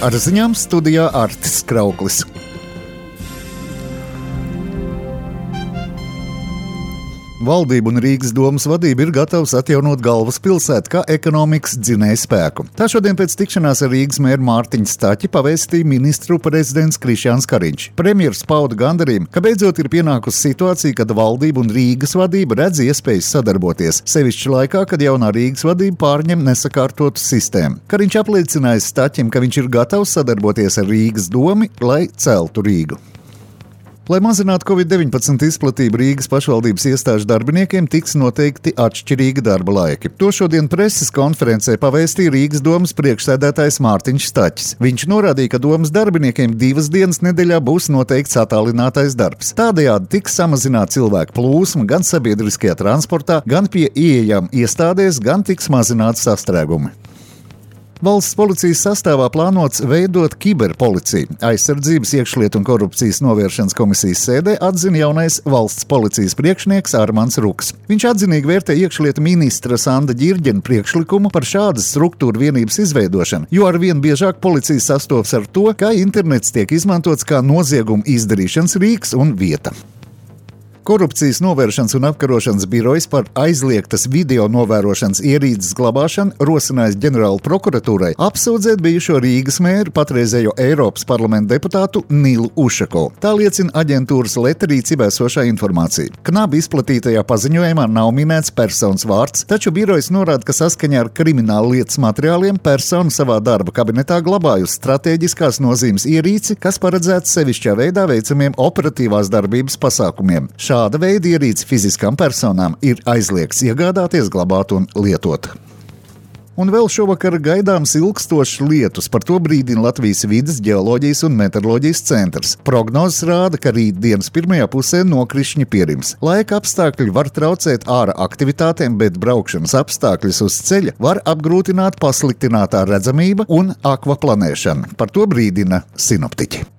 Ar ziņām studijā Artis Krauklis. Valdība un Rīgas domas vadība ir gatavs atjaunot galvaspilsētu kā ekonomikas dzinēju spēku. Tā šodien pēc tikšanās ar Rīgas mēru Mārtiņu Staķi pavēstīja ministru prezidents Krišjāns Kariņš. Premjers pauda gandarījumu, ka beidzot ir pienākusi situācija, kad valdība un Rīgas vadība redz iespējas sadarboties, sevišķi laikā, kad jaunā Rīgas vadība pārņem nesakārtotu sistēmu. Kariņš apliecināja Staķim, ka viņš ir gatavs sadarboties ar Rīgas domu, lai celtu Rīgu. Lai mazinātu Covid-19 izplatību, Rīgas pašvaldības iestāžu darbiniekiem tiks noteikti atšķirīgi darba laiki. To šodien preses konferencē pavēstīja Rīgas domas priekšsēdētājs Mārtiņš Staķis. Viņš norādīja, ka domas darbiniekiem 2 dienas nedēļā būs noteikts attālinātais darbs. Tādējādi tiks samazināta cilvēku plūsma gan sabiedriskajā transportā, gan pie ieejām iestādēs, gan tiks mazināti sastrēgumi. Valsts policijas sastāvā plānots veidot kiberpoliciju. Aizsardzības, iekšlietu un korupcijas novēršanas komisijas sēdē atzina jaunais valsts policijas priekšnieks Armands Ruks. Viņš atzinīgi vērtē iekšlietu ministra Sanda Ģirģena priekšlikumu par šādas struktūra vienības izveidošanu, jo arvien biežāk policija sastopas ar to, ka internets tiek izmantots kā noziegumu izdarīšanas rīks un vieta. Korupcijas novēršanas un apkarošanas birojas par aizliegtas video novērošanas ierīces glabāšanu rosinājis ģenerāla prokuratūrai apsūdzēt bijušo Rīgas mēru, patreizējo Eiropas parlamenta deputātu Nilu Ušakovu. Tā liecina aģentūras Leta rīcībā esošā informācija. Knabi izplatītajā paziņojumā nav minēts personas vārds, taču birojas norāda, ka saskaņā ar krimināla lietas materiāliem persona savā darba kabinetā glabājusi stratēģiskās nozīmes ierīci, kas paredzēts sevišķā veidā veicamiem operatīvās darbības pasākumiem. Šāda veida ierīci fiziskām personām ir aizliegts iegādāties, glabāt un lietot. Un vēl šovakar gaidāms ilgstošs lietus, par to brīdina Latvijas vides, ģeoloģijas un meteoroloģijas centrs. Prognozes rāda, ka rītdienas pirmajā pusē nokrišņi pierims. Laika apstākļi var traucēt ārā aktivitātēm, bet braukšanas apstākļus uz ceļa var apgrūtināt pasliktinātā redzamība un akvaplanēšana. Par to brīdina sinoptiķi.